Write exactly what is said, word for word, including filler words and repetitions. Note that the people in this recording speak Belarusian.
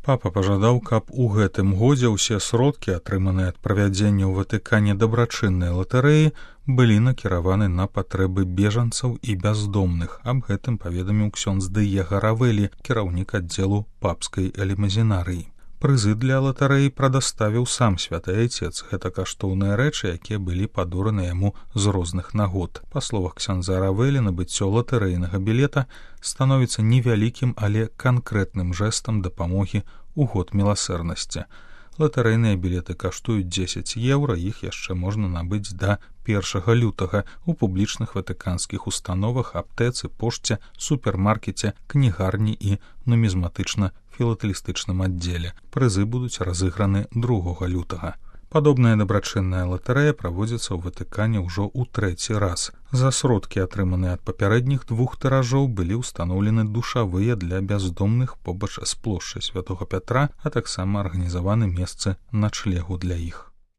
Папа пажадаў, каб у гэтым годзе ўсе сродкі, атрыманыя ад правядзення ў Ватыкане дабрачыннай латарэі, былі накіраваны на патрэбы бежанцаў і бяздомных. Аб гэтым паведаміў ксёндз Дыега Равелі, кіраўнік аддзелу папскай элемазінарыі. Прызы для латарэі прадаставіў сам святы айцец. Гэта каштоўныя рэчы, якія былі падораны яму з розных нагод. Па словах ксяндза Равелі, набыццё латарэйнага білета становіцца невялікім, але канкрэтным жэстам дапамогі ў год міласэрнасці. Латарэйныя білеты каштуюць дзесяць еўра, іх яшчэ можна набыць да першага лютага ў публічных ватыканскіх установах, аптэцы, пошце, супермаркеце, кнігарні і нумізматычна-філатэлістычным аддзеле. Прызы будуць разыграны другога лютага. Падобная дабрачынная латарэя праводзіцца ў Ватыкане ўжо ў трэці раз. За сродкі, атрыманыя ад папярэдніх двух тыражоў, былі ўстаноўлены душавыя для бяздомных побач з плошчай святога Пятра, а таксама арганізаваны месцы начлегу для іх.